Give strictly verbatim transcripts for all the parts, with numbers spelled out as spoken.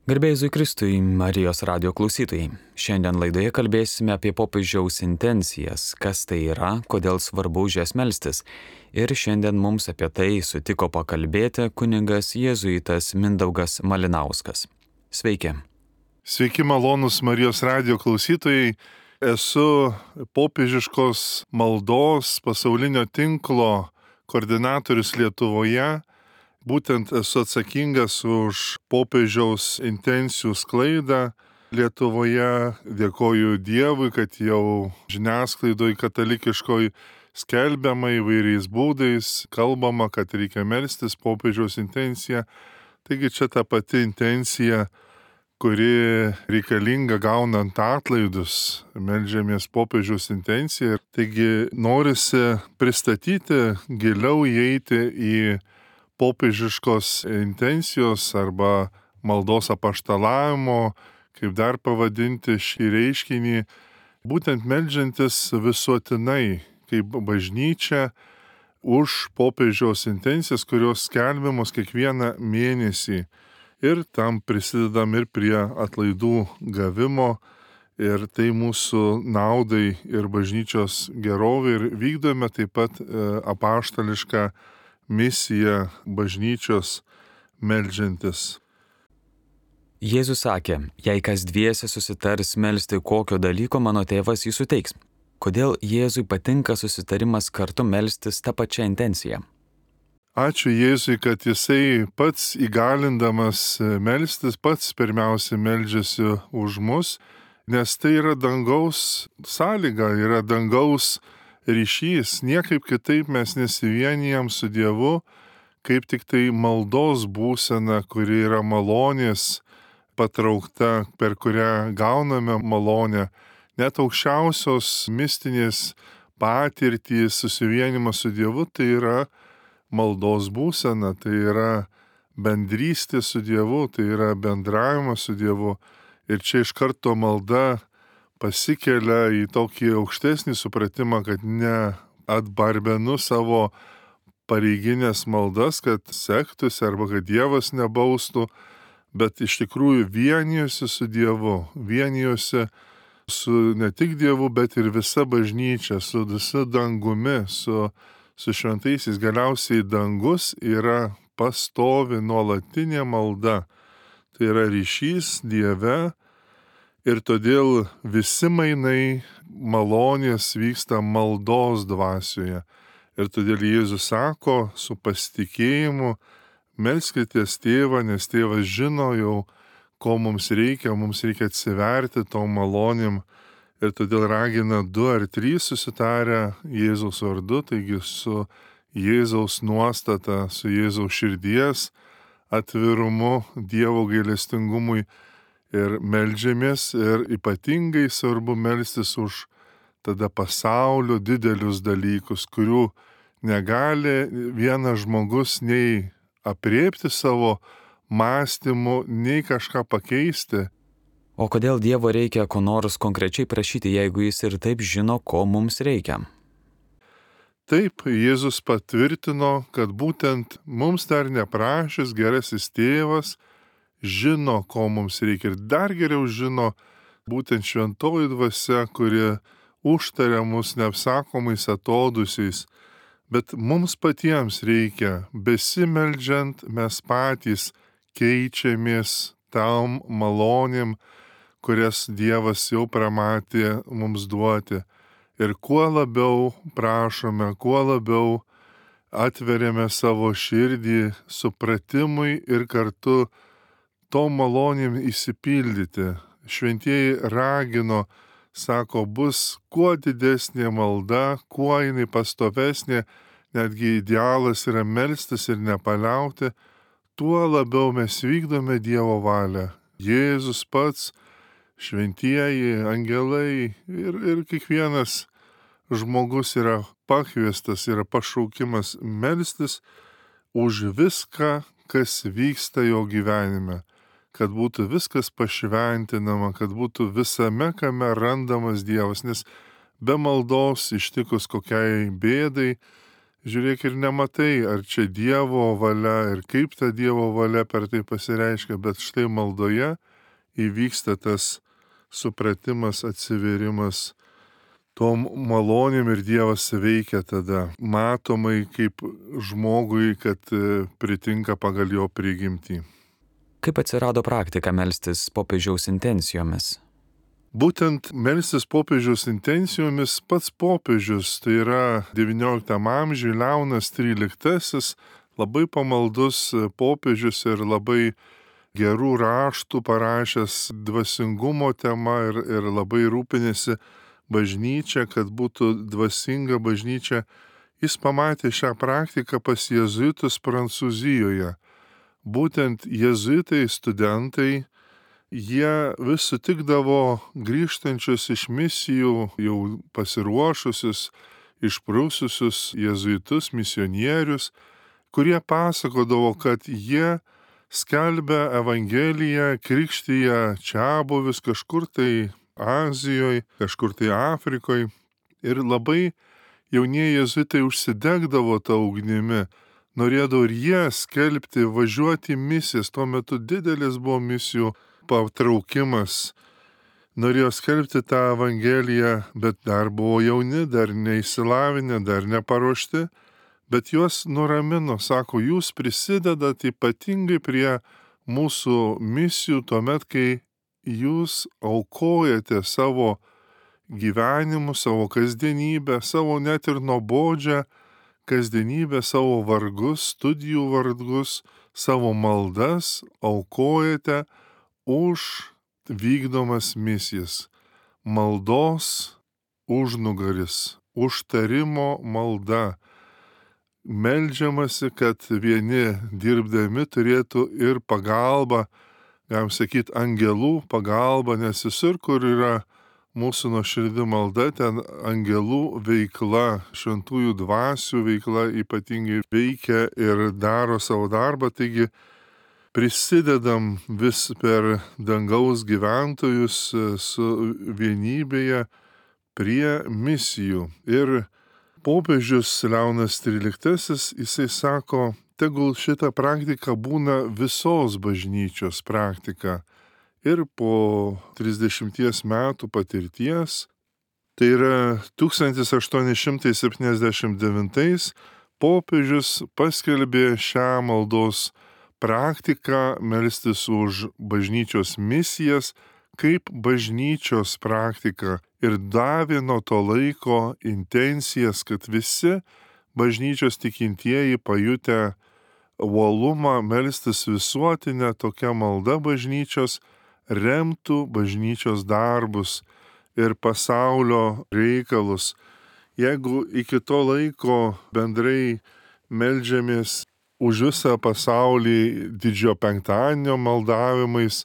Garbėjai Jėzui Kristui, Marijos radio klausytojai. Šiandien laidoje kalbėsime apie popiežiaus intencijas, kas tai yra, kodėl svarbu už jas melstis. Ir šiandien mums apie tai sutiko pakalbėti kunigas jėzuitas Mindaugas Malinauskas. Sveiki. Sveiki malonūs Marijos radio klausytojai. Esu popiežiškos maldos pasaulinio tinklo koordinatorius Lietuvoje. Būtent esu atsakingas už popiežiaus intencijų sklaidą Lietuvoje. Dėkoju Dievui, kad jau žiniasklaidoj katalikiškoj skelbiama įvairiais būdais, kalbama, kad reikia melstis popiežiaus intenciją. Taigi čia ta pati intencija, kuri reikalinga gaunant atlaidus, meldžiamės popiežiaus intenciją. Taigi norisi pristatyti, giliau įeiti į popiežiškos intencijos arba maldos apaštalavimo, kaip dar pavadinti šį reiškinį, būtent meldžiantis visuotinai, kaip bažnyčia, už popiežiaus intencijas, kurios skelbiamos kiekvieną mėnesį. Ir tam prisidedam ir prie atlaidų gavimo, ir tai mūsų naudai ir bažnyčios gerovė, ir vykdome taip pat apaštališką misija bažnyčios meldžiantis. Jėzus sakė, jei kas dviese susitars melsti kokio dalyko, mano tėvas jį suteiks. Kodėl Jėzui patinka susitarimas kartu melstis tą pačią intenciją? Ačiū Jėzui, kad jisai pats įgalindamas melstis, pats pirmiausia meldžiasi už mus, nes tai yra dangaus sąlyga, yra dangaus ryšys. Niekaip kitaip mes nesivienijam su Dievu, kaip tik tai maldos būsena, kuri yra malonės patraukta, per kurią gauname malonę. Net aukščiausios mistinės patirtys, susivienimas su Dievu, tai yra maldos būsena, tai yra bendrystė su Dievu, tai yra bendravimas su Dievu. Ir čia iš karto malda pasikelia į tokį aukštesnį supratimą, kad ne atbarbenu savo pareiginės maldas, kad sektųsi arba kad Dievas nebaustų, bet iš tikrųjų vienijosi su Dievu, vienijosi su ne tik Dievu, bet ir visa bažnyčia, su visa dangumi, su, su šventaisiais. Galiausiai dangus yra pastovi nuolatinė malda. Tai yra ryšys Dieve. Ir todėl visi mainai malonės vyksta maldos dvasioje. Ir todėl Jėzus sako su pasitikėjimu, melskitės tėvą, nes tėvas žino jau, ko mums reikia, mums reikia atsiverti tom malonėm. Ir todėl ragina du ar trys susitarę Jėzaus vardu, taigi su Jėzaus nuostata, su Jėzaus širdies atvirumu, Dievo gailestingumui. Ir meldžiamės, ir ypatingai svarbu melstis už tada pasaulio didelius dalykus, kurių negali vienas žmogus nei apriepti savo mąstymu, nei kažką pakeisti. O kodėl Dievo reikia ko nors konkrečiai prašyti, jeigu jis ir taip žino, ko mums reikia? Taip, Jėzus patvirtino, kad būtent mums dar neprašęs gerasis tėvas žino, ko mums reikia, ir dar geriau žino būtent šventoji dvasia, kuri užtaria mus neapsakomais atodusiais. Bet mums patiems reikia, besimeldžiant, mes patys keičiamės tam malonėm, kurias Dievas jau pramatė mums duoti. Ir kuo labiau prašome, kuo labiau atveriame savo širdį supratimui ir kartu tom malonėm įsipildyti. Šventieji ragino, sako, bus kuo didesnė malda, kuo jinai pastovesnė, netgi idealas yra melstis ir nepaliauti, tuo labiau mes vykdome Dievo valią. Jėzus pats, šventieji, angelai ir, ir kiekvienas žmogus yra pakviestas, yra pašaukimas melstis už viską, kas vyksta jo gyvenime. Kad būtų viskas pašventinama, kad būtų visame, kame randamas Dievas, nes be maldos ištikus kokiai bėdai žiūrėk ir nematai, ar čia Dievo valia ir kaip ta Dievo valia per tai pasireiškia, bet štai maldoje įvyksta tas supratimas, atsivėrimas tom malonėm ir Dievas veikia tada matomai kaip žmogui, kad pritinka pagal jo prigimtį. Kaip atsirado praktika melstis popiežiaus intencijomis? Būtent melstis popiežiaus intencijomis pats popiežius, tai yra devynioliktam amžiui Leonas tryliktasis, labai pamaldus popiežius ir labai gerų raštų parašęs dvasingumo tema ir, ir labai rūpinėsi bažnyčia, kad būtų dvasinga bažnyčia. Jis pamatė šią praktiką pas jėzuitus Prancūzijoje. Būtent jėzuitai studentai, jie vis sutikdavo grįžtančius iš misijų, jau pasiruošusius, išprususius jėzuitus, misionierius, kurie pasakodavo, kad jie skelbia Evangeliją, krikštyja čiabuvius kažkur tai Azijoje, kažkur tai Afrikoje. Ir labai jaunieji jėzuitai užsidegdavo tą ugnimi, norėdavo ir jie skelbti, važiuoti į misijas. Tuo metu didelis buvo misijų patraukimas. Norėjo skelbti tą Evangeliją, bet dar buvo jauni, dar neįsilavinę, dar neparuošti. Bet juos nuramino, sako, jūs prisidedat ypatingai prie mūsų misijų tuomet, kai jūs aukojate savo gyvenimu, savo kasdienybę, savo net ir nuobodžią kasdienybę, savo vargus, studijų vargus, savo maldas aukojate už vykdomas misijas. Maldos užnugaris, užtarimo malda. Meldžiamasi, kad vieni dirbdami turėtų ir pagalbą, galim sakyti, angelų pagalba, nes visur, kur yra mūsų nuoširdi malda, ten angelų veikla, šventųjų dvasių veikla ypatingai veikia ir daro savo darbą. Taigi prisidedam vis per dangaus gyventojus su vienybėje prie misijų. Ir popiežius Leonas tryliktasis, jisai sako, tegul šita praktika būna visos bažnyčios praktika. Ir po trisdešimties metų patirties, tai yra tūkstantis aštuoni šimtai septyniasdešimt devintais, popiežius paskelbė šią maldos praktiką melstis už bažnyčios misijas kaip bažnyčios praktika ir davė nuo to laiko intencijas, kad visi bažnyčios tikintieji pajutę uolumą melstis visuotinę tokią maldą bažnyčios, remtų bažnyčios darbus ir pasaulio reikalus. Jeigu iki to laiko bendrai meldžiamės už visą pasaulį didžiojo penktadienio maldavimais,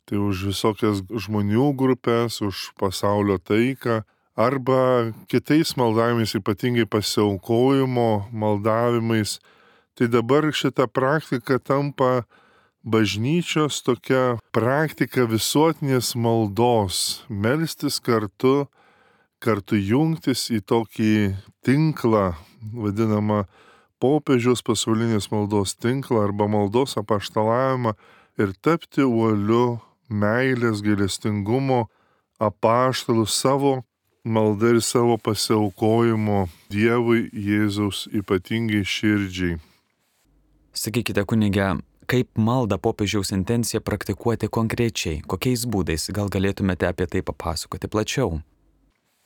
tai už visokias žmonių grupės, už pasaulio taiką, arba kitais maldavimais, ypatingai pasiaukojimo maldavimais, tai dabar šita praktika tampa bažnyčios tokia praktika visuotinės maldos, melstis kartu, kartu jungtis į tokį tinklą, vadinamą popiežiaus pasaulinės maldos tinklą arba maldos apaštalavimą ir tapti uoliu meilės, gailestingumo apaštalu savo malda ir savo pasiaukojimo Dievui Jėzaus ypatingai širdžiai. Sakykite, kunige, kaip maldą popiežiaus intenciją praktikuoti konkrečiai, kokiais būdais, gal galėtumėte apie tai papasakoti plačiau?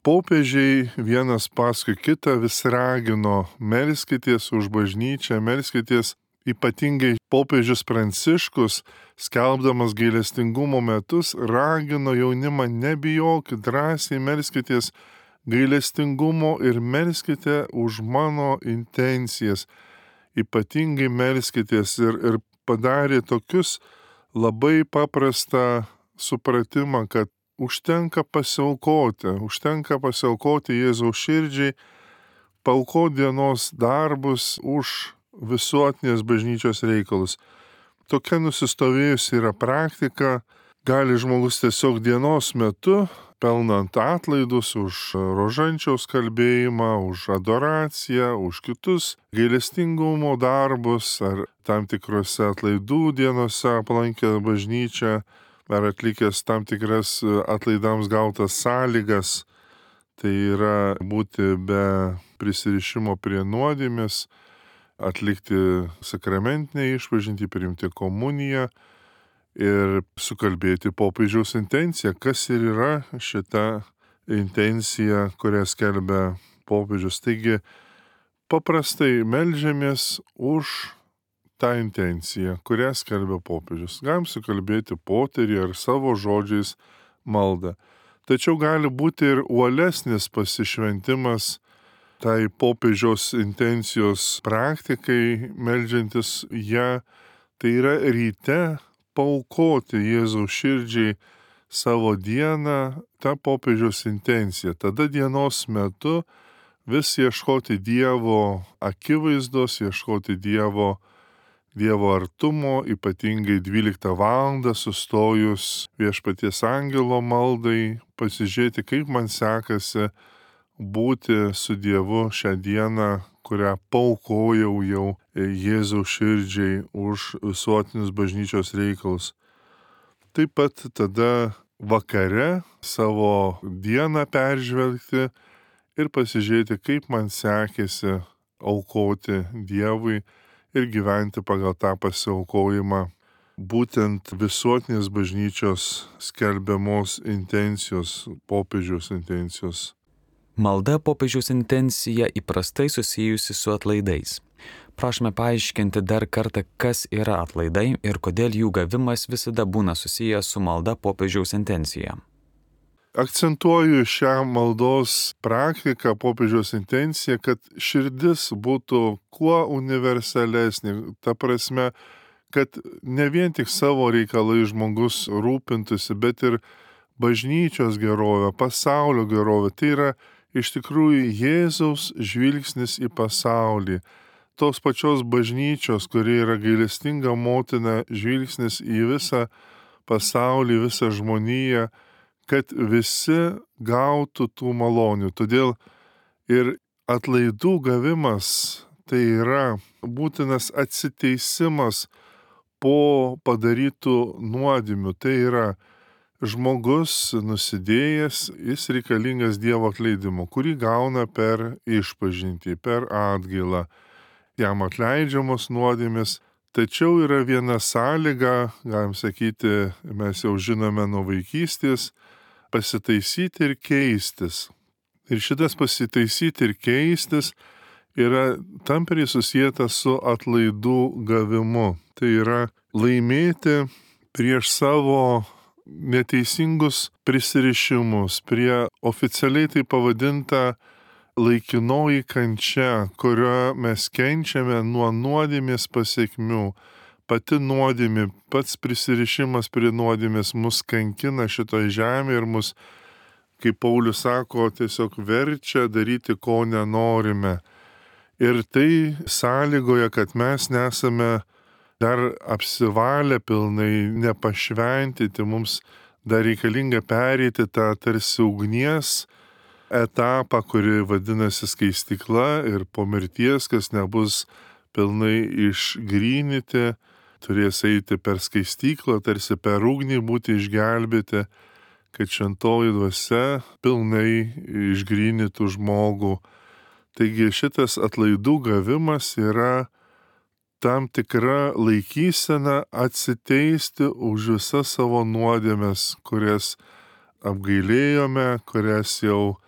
Popiežiai vienas paskui kitą vis ragino, melskitės už bažnyčią, melskitės ypatingai popiežius Pranciškus, skelbdamas gailestingumo metus, ragino jaunimą, nebijokit, drąsiai melskitės gailestingumo ir melskite už mano intencijas. Ypatingai melskitės ir, ir padarė tokius labai paprastą supratimą, kad užtenka pasiaukoti, užtenka pasiaukoti Jėzaus širdžiai, paaukoti dienos darbus už visuotinės bažnyčios reikalus. Tokia nusistovėjusi yra praktika, Gali žmogus tiesiog dienos metu, pelnant atlaidus už rožančiaus kalbėjimą, už adoraciją, už kitus gailestingumo darbus ar tam tikrose atlaidų dienose aplankę bažnyčią, ar atlikęs tam tikras atlaidams gautas sąlygas, tai yra būti be prisirišimo prie nuodėmės, atlikti sakramentinę išpažintį, priimti komuniją ir sukalbėti popiežiaus intenciją. Kas ir yra šita intencija, kurią skelbia popiežius. Taigi paprastai meldžiamės už tą intenciją, kurią skelbia popiežius. Galim sukalbėti poterį ar savo žodžiais maldą. Tačiau gali būti ir uolesnis pasišventimas tai popiežiaus intencijos praktikai, meldžiantis ją, tai yra ryte paaukoti Jėzaus širdžiai savo dieną, tą popiežiaus intenciją. Tada dienos metu vis ieškoti Dievo akivaizdos, ieškoti Dievo Dievo artumo, ypatingai dvyliktą valandą sustojus Viešpaties angelo maldai, pasižiūrėti, kaip man sekasi būti su Dievu šią dieną, kurią paaukojau jau Jėzaus širdžiai už visuotinius bažnyčios reikalus. Taip pat tada vakare savo dieną peržvelgti ir pasižiūrėti, kaip man sekėsi aukoti Dievui ir gyventi pagal tą pasiaukojimą, būtent visuotinės bažnyčios skelbiamos intencijos, popiežiaus intencijos. Malda popiežiaus intencija įprastai susijusi su atlaidais. Prašome paaiškinti dar kartą, kas yra atlaidai ir kodėl jų gavimas visada būna susijęs su malda popiežiaus intencija. Akcentuoju šią maldos praktiką, popiežiaus intenciją, kad širdis būtų kuo universalesnė. Ta prasme, kad ne vien tik savo reikalai žmogus rūpintųsi, bet ir bažnyčios gerovė, pasaulio gerovė. Tai yra iš tikrųjų Jėzaus žvilgsnis į pasaulį. Tos pačios bažnyčios, kuri yra gailestinga motina, žvilgsnis į visą pasaulį, visą žmoniją, kad visi gautų tų malonių. Todėl ir atlaidų gavimas tai yra būtinas atsiteisimas po padarytų nuodėmių. Tai yra žmogus nusidėjęs, jis reikalingas Dievo atleidimo, kurį gauna per išpažintį, per atgailą. Jam atleidžiamos nuodėmės. Tačiau yra viena sąlyga, galim sakyti, mes jau žinome nuo vaikystės, pasitaisyti ir keistis. Ir šitas pasitaisyti ir keistis yra tampriai susijęs su atlaidų gavimu. Tai yra laimėti prieš savo neteisingus prisirišimus, prie oficialiai tai pavadinta laikinoji kančia, kurio mes kenčiame nuo nuodėmės pasekmių. Pati nuodėmė, pats prisirišimas prie nuodėmės mus kankina šitoj žemėje ir mus, kaip Paulius sako, tiesiog verčia daryti, ko nenorime. Ir tai sąlygoja, kad mes nesame dar apsivalę pilnai, nepašventyti, mums dar reikalinga pereiti tą tarsi ugnies etapą, kuri vadinasi skaistykla ir po mirties, kas nebus pilnai išgrynyti, turės eiti per skaistyklą, tarsi per ugnį būti išgelbėti, kad šventoji dvasia pilnai išgrynytų žmogų. Taigi šitas atlaidų gavimas yra tam tikra laikysena atsiteisti už visas savo nuodėmes, kurias apgailėjome, kurias jau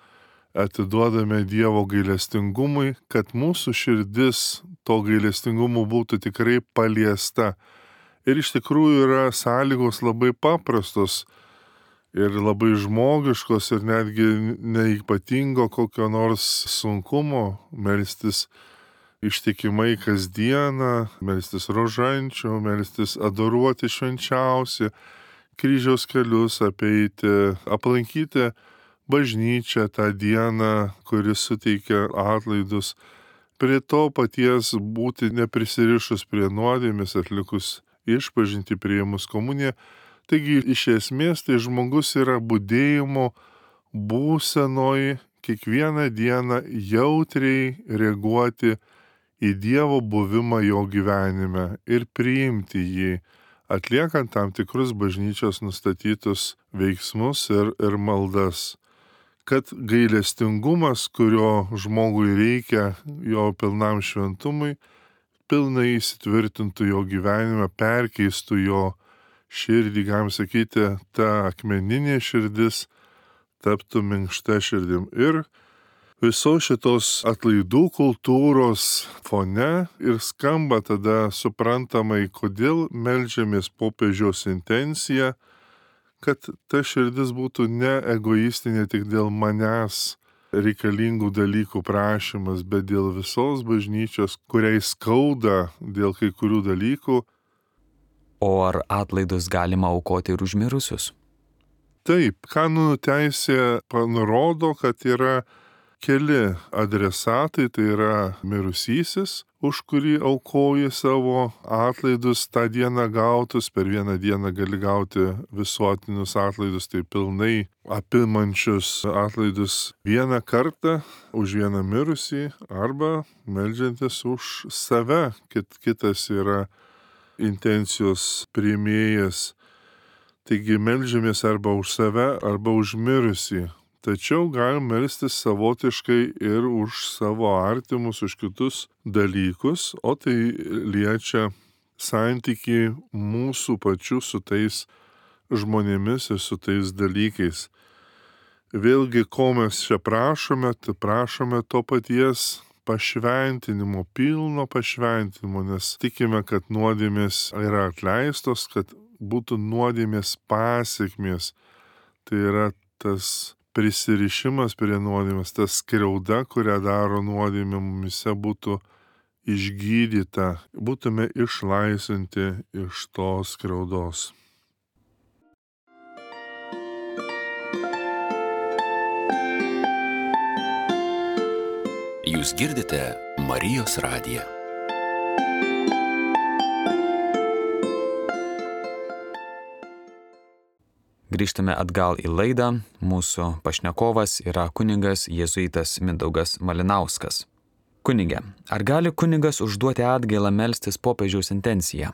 atiduodame Dievo gailestingumui, kad mūsų širdis to gailestingumu būtų tikrai paliesta. Ir iš tikrųjų yra sąlygos labai paprastos ir labai žmogiškos ir netgi neipatingo kokio nors sunkumo melstis ištikimai kasdieną, melstis rožančių, melstis adoruoti švenčiausią, kryžiaus kelius apeiti, aplankyti bažnyčią tą dieną, kuris suteikia atlaidus, prie to paties būti neprisirišus prie nuodėmės, atlikus išpažintį, priėmus komuniją. Taigi iš esmės tai žmogus yra budėjimo būsenoj kiekvieną dieną jautriai reaguoti į Dievo buvimą jo gyvenime ir priimti jį, atliekant tam tikrus bažnyčios nustatytus veiksmus ir, ir maldas. Kad gailestingumas, kurio žmogui reikia jo pilnam šventumui, pilnai įsitvirtintų jo gyvenime, perkeistų jo širdį, galim sakyti, ta akmeninė širdis taptų minkšta širdim. Ir visos šitos atlaidų kultūros fone ir skamba tada suprantamai, kodėl meldžiamės popiežiaus intenciją, kad ta širdis būtų ne egoistinė tik dėl manęs reikalingų dalykų prašymas, bet dėl visos bažnyčios, kuriai skauda dėl kai kurių dalykų. O ar atlaidus galima aukoti ir už mirusius? Taip, kanonų teisė nurodo, kad yra keli adresatai, tai yra mirusysis, už kurį aukoji savo atlaidus tą dieną gautus, per vieną dieną gali gauti visuotinius atlaidus, tai pilnai apimančius atlaidus vieną kartą už vieną mirusį, arba meldžiantis už save, kit, kitas yra intencijos priėmėjas. Taigi meldžiamės arba už save, arba už mirusį. Tačiau galim melstis savotiškai ir už savo artimus, už kitus dalykus, o tai liečia santykį mūsų pačių su tais žmonėmis ir su tais dalykais. Vėlgi, ko mes čia prašome, tai prašome to paties pašventinimo, pilno pašventinimo, nes tikime, kad nuodėmės yra atleistos, kad būtų nuodėmės pasiekmės. Tai yra tas prisirišimas prie nuodėmės, ta skriauda, kurią daro nuodėmė mumise, būtų išgydyta, būtume išlaisvinti iš tos skriaudos. Jūs girdite Marijos radiją. Grįžtame atgal į laidą. Mūsų pašnekovas yra kunigas jėzuitas Mindaugas Malinauskas. Kunige, ar gali kunigas užduoti atgailą melstis popiežiaus intenciją?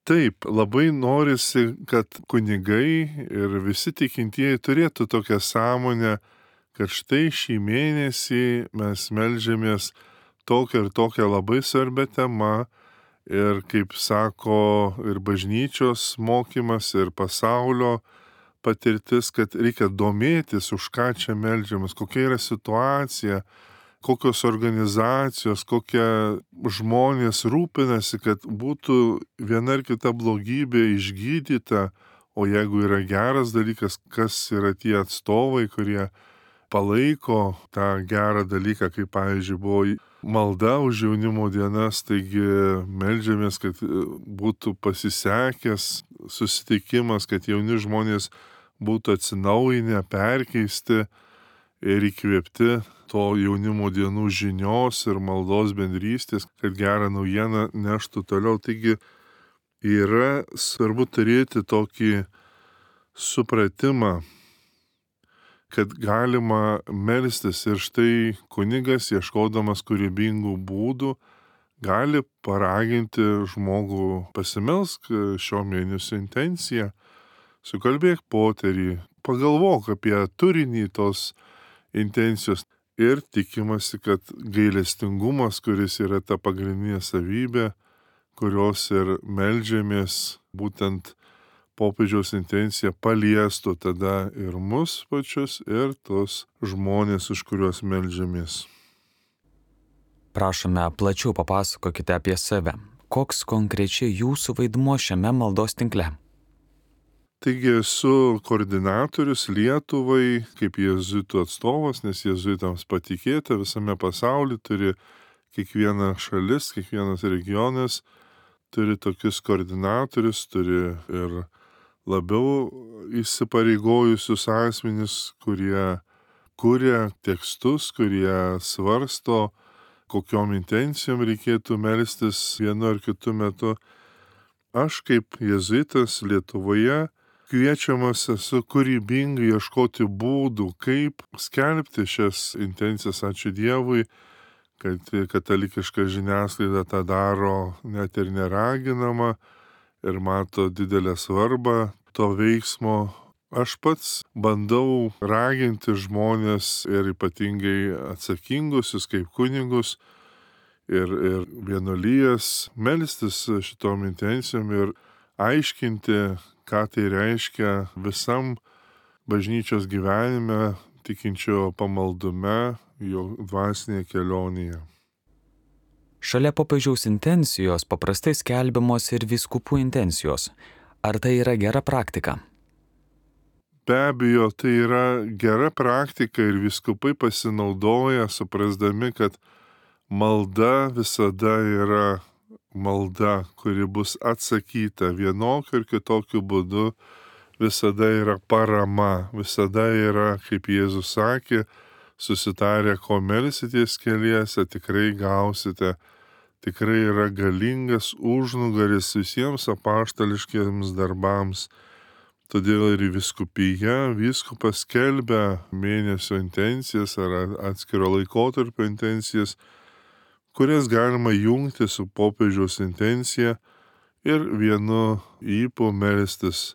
Taip, labai norisi, kad kunigai ir visi tikintieji turėtų tokią sąmonę, kad štai šį mėnesį mes meldžiamės tokią ir tokią labai svarbią temą. Ir kaip sako ir bažnyčios mokymas, ir pasaulio patirtis, kad reikia domėtis, už ką čia meldžiamas, kokia yra situacija, kokios organizacijos, kokie žmonės rūpinasi, kad būtų viena ar kita blogybė išgydyta, o jeigu yra geras dalykas, kas yra tie atstovai, kurie palaiko tą gerą dalyką, kaip pavyzdžiui buvo malda už jaunimo dienas, taigi meldžiamės, kad būtų pasisekęs susitikimas, kad jauni žmonės būtų atsinaujinę, perkeisti ir įkvėpti to jaunimo dienų žinios ir maldos bendrystės, kad gerą naujieną neštų toliau. Taigi yra svarbu turėti tokį supratimą, kad galima melstis ir štai kunigas, ieškodamas kūrybingų būdų, gali paraginti žmogų pasimelsk šio mėnesio intenciją, sukalbėk poterį, pagalvok apie turinį tos intencijos ir tikimasi, kad gailestingumas, kuris yra ta pagrindinė savybė, kurios ir meldžiamės, būtent popiežiaus intencija paliestų tada ir mus pačius, ir tos žmonės, už kuriuos meldžiamės. Prašome, plačiau papasakokite apie save. Koks konkrečiai jūsų vaidmuo šiame maldos tinkle? Taigi esu koordinatorius Lietuvai, kaip jėzuitų atstovas, nes jėzuitams patikėta visame pasaulyje turi kiekviena šalis, kiekvienas regionas turi tokius koordinatorius, turi ir labiau įsipareigojusius asmenis, kurie kuria tekstus, kurie svarsto, kokiom intencijom reikėtų melstis vienu ar kitu metu. Aš kaip jėzuitas Lietuvoje kviečiamas esu kūrybingai ieškoti būdų, kaip skelbti šias intencijas. Ačiū Dievui, kad katalikiška žiniasklaida tą daro net ir neraginama ir mato didelę svarbą to veiksmo. Aš pats bandau raginti žmonės ir ypatingai atsakingusius kaip kunigus ir, ir vienuolijas melstis šitom intencijom ir aiškinti, ką tai reiškia visam bažnyčios gyvenime, tikinčio pamaldume, jo dvasinėje kelionėje. Šalia popiežiaus intencijos paprastai skelbiamos ir vyskupų intencijos. Ar tai yra gera praktika? Be abejo, tai yra gera praktika ir vyskupai pasinaudoja, suprasdami, kad malda visada yra malda, kuri bus atsakyta vienokiu ir kitokiu būdu, visada yra parama, visada yra, kaip Jėzus sakė, susitarę, ko melsitės keliese, tikrai gausite. Tikrai yra galingas užnugaris visiems apaštališkiems darbams. Todėl ir vyskupija, vyskupas skelbia mėnesio intencijas ar atskiro laikotarpio intencijas, kurias galima jungti su popiežiaus intencija ir vienu ypu melstis,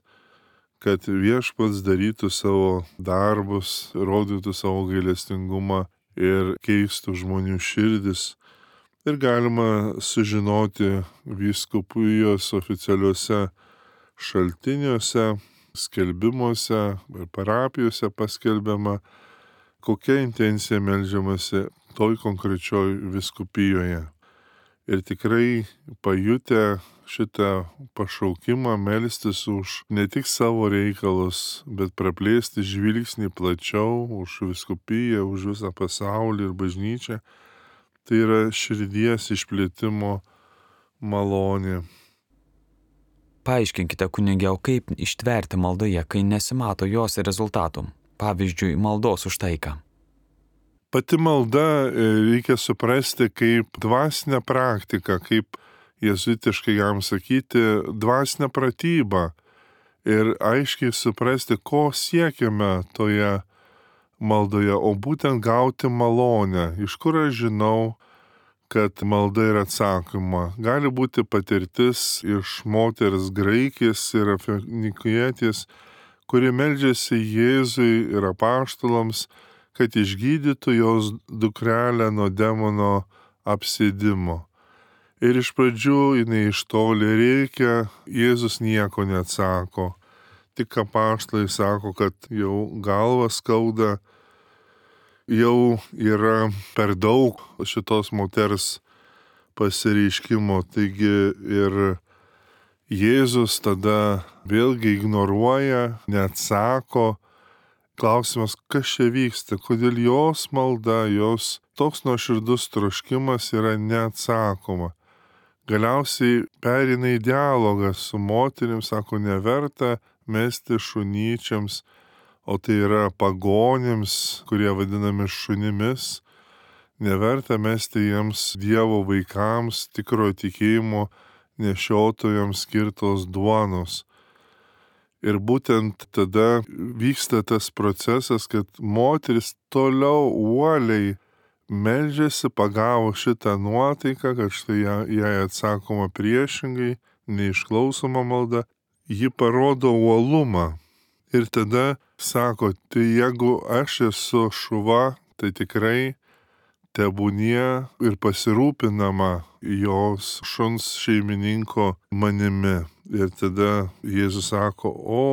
kad viešpats darytų savo darbus, rodytų savo gailestingumą ir keistų žmonių širdis. Ir galima sužinoti vyskupijos oficialiuose šaltiniuose, skelbimuose ir parapijose paskelbiama, kokia intencija meldžiamasi toj konkrečioj vyskupijoje. Ir tikrai pajutę šitą pašaukimą melstis už ne tik savo reikalus, bet praplėsti žvilgsnį plačiau už vyskupiją, už visą pasaulį ir bažnyčią, tai yra širdies išplėtimo malonė. Paaiškinkite, kunige, o kaip ištverti maldoje, kai nesimato jos rezultatų? Pavyzdžiui, maldos už taiką. Pati malda reikia suprasti kaip dvasinę praktiką, kaip jėzuitiškai jam sakyti, dvasinę pratybą ir aiškiai suprasti, ko siekiame toje maldoje, o būtent gauti malonę. Iš kur aš žinau, kad malda yra atsakoma? Gali būti patirtis iš moters graikės ir finikietės, kuri meldžiasi Jėzui ir apaštalams, kad išgydytų jos dukrelę nuo demono apsėdimo. Ir iš pradžių jinai iš toli reikia, Jėzus nieko neatsako. Tik apaštalai sako, kad jau galva skauda, jau yra per daug šitos moters pasireiškimo. Taigi ir Jėzus tada vėlgi ignoruoja, neatsako. Klausimas, kas čia vyksta, kodėl jos malda, jos toks nuoširdus troškimas yra neatsakoma. Galiausiai pereina į dialogą su moterim, sako, neverta mesti šunyčiams, o tai yra pagonims, kurie vadinami šunimis, neverta mesti jiems Dievo vaikams, tikrojo tikėjimo nešiotojams skirtos duonos. Ir būtent tada vyksta tas procesas, kad moteris toliau uoliai meldžiasi, pagavo šitą nuotaiką, kad štai jai atsakoma priešingai, neišklausoma malda, ji parodo uolumą. Ir tada sako, tai jeigu aš esu šuva, tai tikrai tebūnie ir pasirūpinama jos šuns šeimininko manimi. Ir tada Jėzus sako, o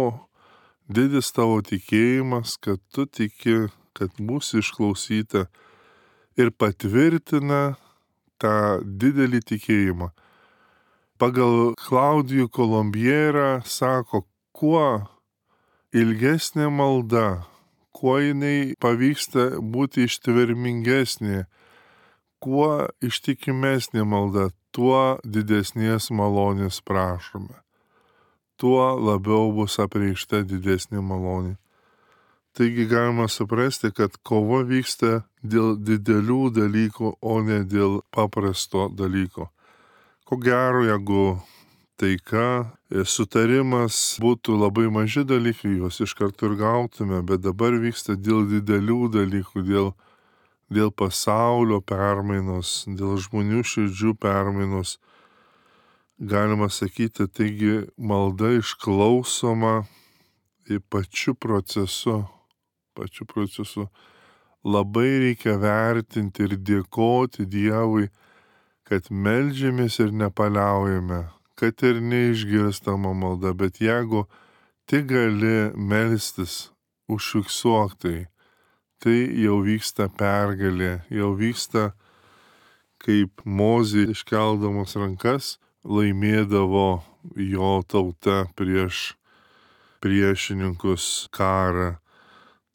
didis tavo tikėjimas, kad tu tiki, kad mūsų išklausyta, ir patvirtina tą didelį tikėjimą. Pagal Klaudijų Kolombierą sako, kuo ilgesnė malda, kuo jinai pavyksta būti ištvermingesnė, kuo ištikimesnė malda, tuo didesnės malonės prašome. Tuo labiau bus apreikšta didesnė malonė. Taigi galima suprasti, kad kova vyksta dėl didelių dalykų, o ne dėl paprasto dalyko. Ko gero, jeigu taika, sutarimas būtų labai maži dalykai, juos iš karto ir gautume, bet dabar vyksta dėl didelių dalykų, dėl, dėl pasaulio permainos, dėl žmonių širdžių permainos. Galima sakyti, taigi malda išklausoma į pačiu procesu, pačiu procesu. Labai reikia vertinti ir dėkoti Dievui, kad meldžiamės ir nepaliaujame, kad ir neišgirstama malda, bet jeigu tik gali melstis, užfiksuok tai, tai jau vyksta pergalė, jau vyksta, kaip Mozė iškeldamos rankas laimėdavo jo tauta prieš priešininkus karą.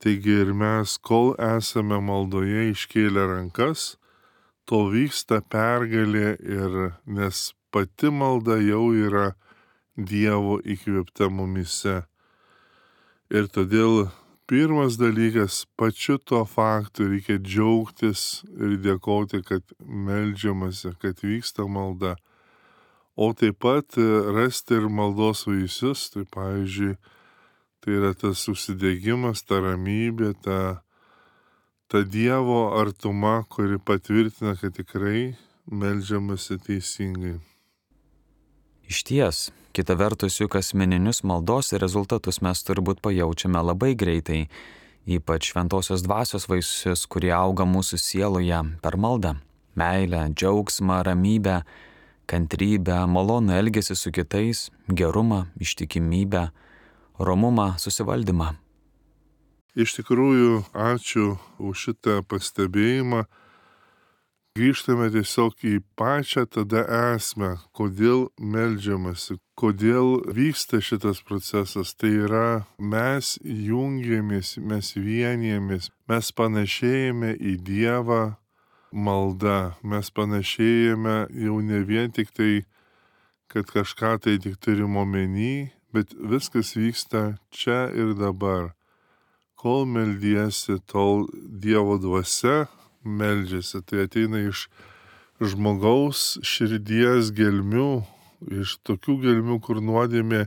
Taigi ir mes, kol esame maldoje iškėlę rankas, tol vyksta pergalė ir nes pati malda jau yra Dievo įkvėpta mumyse. Ir todėl pirmas dalykas, pačiu to faktu reikia džiaugtis ir dėkoti, kad meldžiamasi, kad vyksta malda. O taip pat rasti ir maldos vaisius, tai pavyzdžiui, tai yra tas užsidegimas, ta ramybė, ta, ta Dievo artuma, kuri patvirtina, kad tikrai meldžiamasi teisingai. Išties, kita vertus, juk asmeninius maldos rezultatus mes turbūt pajaučiame labai greitai, ypač šventosios dvasios vaisius, kurie auga mūsų sieloje per maldą. Meilę, džiaugsmą, ramybę, kantrybę, malonų elgesį su kitais, gerumą, ištikimybę, romumą, susivaldymą. Iš tikrųjų, ačiū už šitą pastebėjimą. Grįžtame tiesiog į pačią tada esmę, kodėl meldžiamasi, kodėl vyksta šitas procesas. Tai yra, mes jungiamės, mes vienijamės, mes panašėjame į Dievą malda, mes panašėjame jau ne vien tik tai, kad kažką tai tik turim omeny, bet viskas vyksta čia ir dabar. Kol meldiesi, tol Dievo dvasia meldžiasi, tai ateina iš žmogaus širdies gelmių, iš tokių gelmių, kur nuodėmė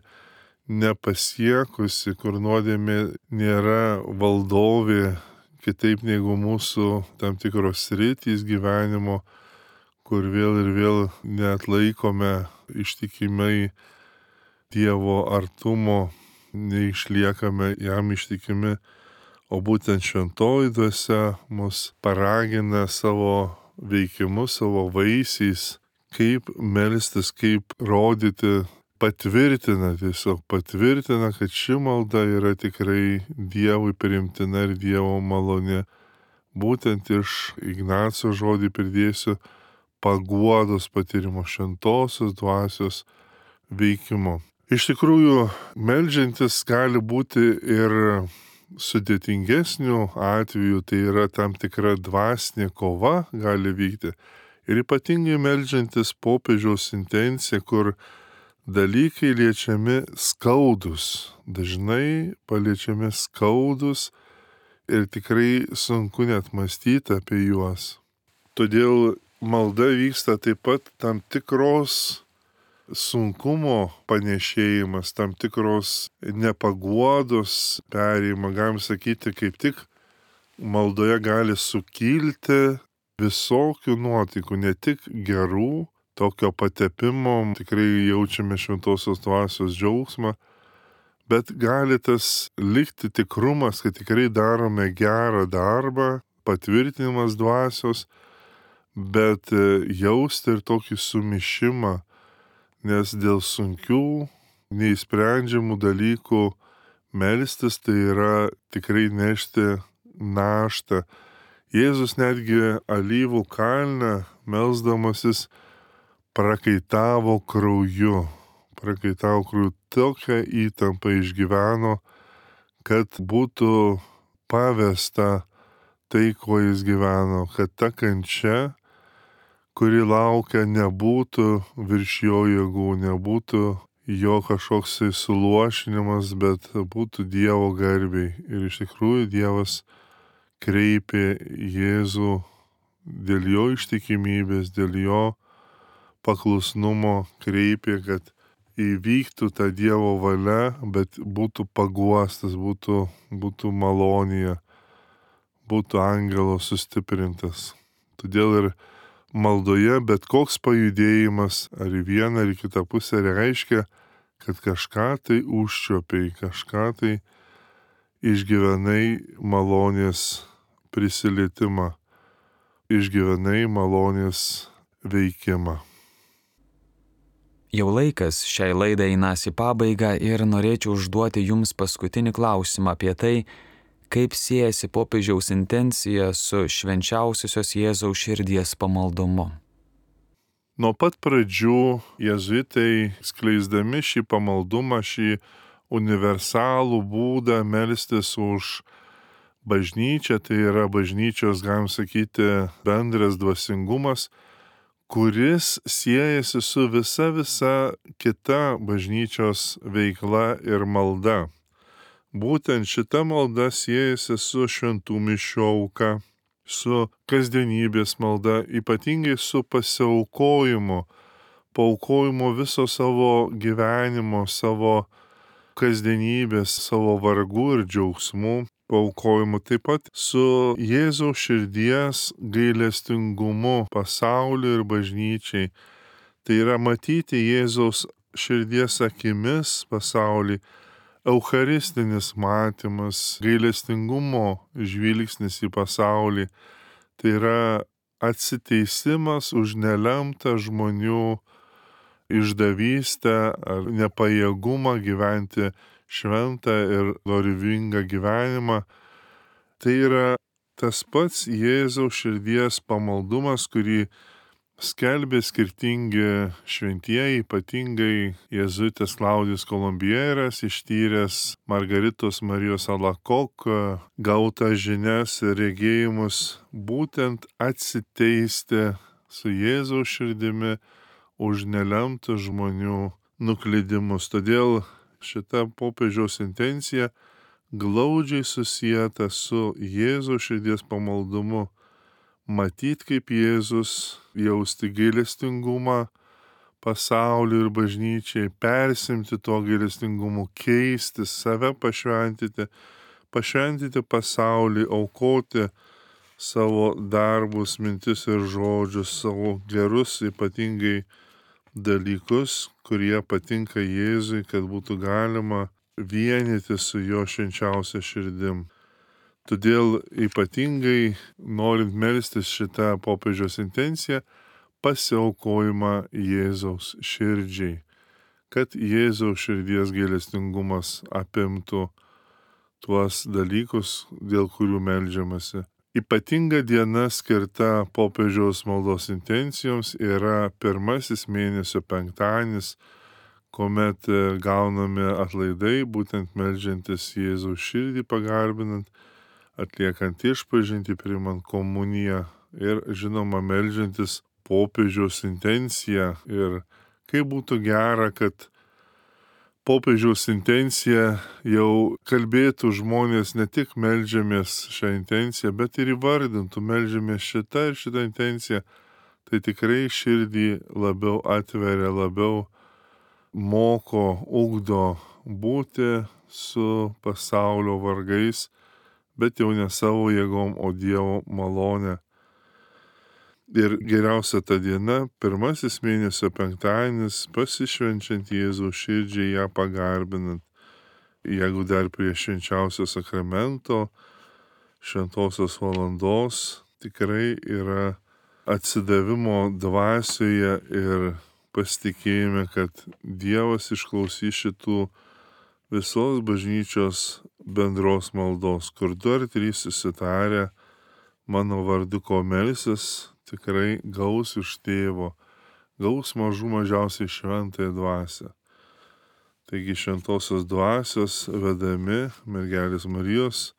nepasiekusi, kur nuodėmė nėra valdovė, kitaip negu mūsų tam tikros sritys gyvenimo, kur vėl ir vėl neatlaikome ištikimai Dievo artumo, neišliekame jam ištikimi, o būtent šventoji dvasia mus paragina savo veikimu, savo vaisiais, kaip melstis, kaip rodyti, patvirtina, tiesiog patvirtina, kad ši malda yra tikrai Dievui priimtina ir Dievo malonė. Būtent iš Ignaco žodį pridėsiu paguodos patyrimo, šventosios dvasios veikimo. Iš tikrųjų, meldžiantis gali būti ir sudėtingesnių atvejų, tai yra tam tikra dvasinė kova gali vykti. Ir ypatingai meldžiantis popiežiaus intencija, kur dalykai liečiami skaudus, dažnai paliečiami skaudus ir tikrai sunku net mąstyti apie juos. Todėl malda vyksta taip pat tam tikros sunkumo panešėjimas, tam tikros nepaguodos perėjimą, galim sakyti, kaip tik maldoje gali sukilti visokių nuotaikų, ne tik gerų, tokio patepimo, tikrai jaučiame šventosios dvasios džiaugsmą, bet gali tas likti tikrumas, kad tikrai darome gerą darbą, patvirtinimas dvasios, bet jausti ir tokį sumišimą, nes dėl sunkių, neįsprendžiamų dalykų melstis tai yra tikrai nešti naštą. Jėzus netgi alyvų kalne melsdamasis prakaitavo krauju. Prakaitavo krauju, tokią įtampą išgyveno, kad būtų pavesta tai, ko jis gyveno, kad ta kančia, kuri laukia, nebūtų virš jo jėgų, nebūtų jo kažkoks suluošinimas, bet būtų Dievo garbiai. Ir iš tikrųjų Dievas kreipė Jėzų dėl jo ištikimybės, dėl jo paklusnumo, kreipė, kad įvyktų ta Dievo valia, bet būtų paguostas, būtų, būtų malonija, būtų angelo sustiprintas. Todėl ir maldoje bet koks pajudėjimas ar į vieną ar į kitą pusę reiškia, kad kažką tai užčiopiai, kažką tai išgyvenai malonės prisilietimą, išgyvenai malonės veikimą. Jau laikas šiai laidai einas į pabaigą ir norėčiau užduoti jums paskutinį klausimą apie tai, kaip siejasi popiežiaus intencija su švenčiausiosios Jėzaus širdies pamaldumu. Nuo pat pradžių jėzuitai, skleisdami šį pamaldumą, šį universalų būdą melstis už bažnyčią, tai yra bažnyčios, galim sakyti, bendras dvasingumas, kuris siejasi su visa visa kita bažnyčios veikla ir malda. Būtent šita malda siejasi su šventų mišių auka, su kasdienybės malda, ypatingai su pasiaukojimu, paaukojimu viso savo gyvenimo, savo kasdienybės, savo vargų ir džiaugsmų paaukojimu, taip pat su Jėzaus širdies gailestingumu pasauliui ir bažnyčiai. Tai yra matyti Jėzaus širdies akimis pasaulį, eucharistinis matymas, gailestingumo žvilgsnis į pasaulį. Tai yra atsiteisimas už nelemtą žmonių išdavystę ar nepajėgumą gyventi šventą ir dorybingą gyvenimą. Tai yra tas pats Jėzaus širdies pamaldumas, kurį skelbė skirtingi šventieji, ypatingai jėzuitas Klaudijus Kolumbieras, ištyręs Margaritos Marijos Alakok gautą žinias ir regėjimus, būtent atsiteisti su Jėzaus širdimi už nelemtų žmonių nuklydimus. Todėl šita popiežiaus intencija glaudžiai susieta su Jėzaus širdies pamaldumu. Matyt, kaip Jėzus, jausti gailestingumą pasauliui ir bažnyčiai, persimti to gailestingumu, keisti, save pašventyti, pašventyti pasaulį, aukoti savo darbus, mintis ir žodžius, savo gerus ypatingai dalykus, kurie patinka Jėzui, kad būtų galima vienyti su jo švenčiausia širdim. Todėl ypatingai, norint melstis šitą popiežiaus intenciją, pasiaukojimą Jėzaus širdžiai, kad Jėzaus širdies gailestingumas apimtų tuos dalykus, dėl kurių meldžiamasi. Ypatinga diena skirta popiežiaus maldos intencijoms yra pirmasis mėnesio penktadienis, kuomet gaunami atlaidai, būtent meldžiantis Jėzaus širdį pagarbinant, atliekant išpažintį, priimant komuniją ir, žinoma, meldžiantis popiežiaus intenciją. Ir kaip būtų gera, kad popiežiaus intencija jau kalbėtų žmonės, ne tik meldžiamės šią intenciją, bet ir įvardintų, meldžiamės šitą ir šitą intenciją. Tai tikrai širdį labiau atveria, labiau moko, ugdo būti su pasaulio vargais, bet jau ne savo jėgom, o Dievo malonė. Ir geriausia ta diena, pirmasis mėnesio penktadienis, pasišvenčiant Jėzaus širdžiai, ją pagarbinant. Jeigu dar prie švenčiausio sakramento, šventosios valandos, tikrai yra atsidavimo dvasioje ir pasitikėjime, kad Dievas išklausys šitų visos bažnyčios bendros maldos, kur du ar trys susitarę mano vardu ko melsis, tikrai gaus iš tėvo, gaus mažų mažiausiai šventąją dvasią. Taigi šventosios dvasios vedami mergelės Marijos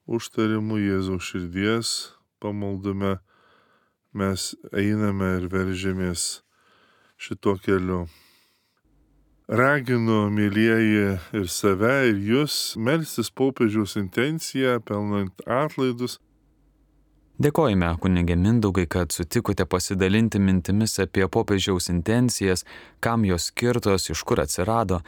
užtarimu Jėzaus širdies pamaldume mes einame ir veržėmės šituo keliu. Raginu, mylieji, ir save, ir jūs melstis popiežiaus intenciją, pelnant atlaidus, Dėkojame, kunigė Mindaugai, kad sutikote pasidalinti mintimis apie popiežiaus intencijas, kam jos skirtos, iš kur atsirado.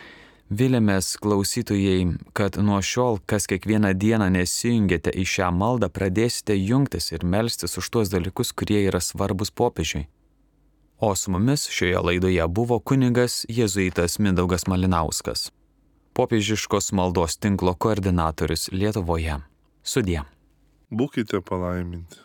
Vilėmės klausytojai, kad nuo šiol, kas kiekvieną dieną nesijungiate į šią maldą, pradėsite jungtis ir melstis už tuos dalykus, kurie yra svarbus popiežiui. O su mumis šioje laidoje buvo kunigas jėzuitas Mindaugas Malinauskas, popiežiškos maldos tinklo koordinatorius Lietuvoje. Sudie. Būkite palaiminti.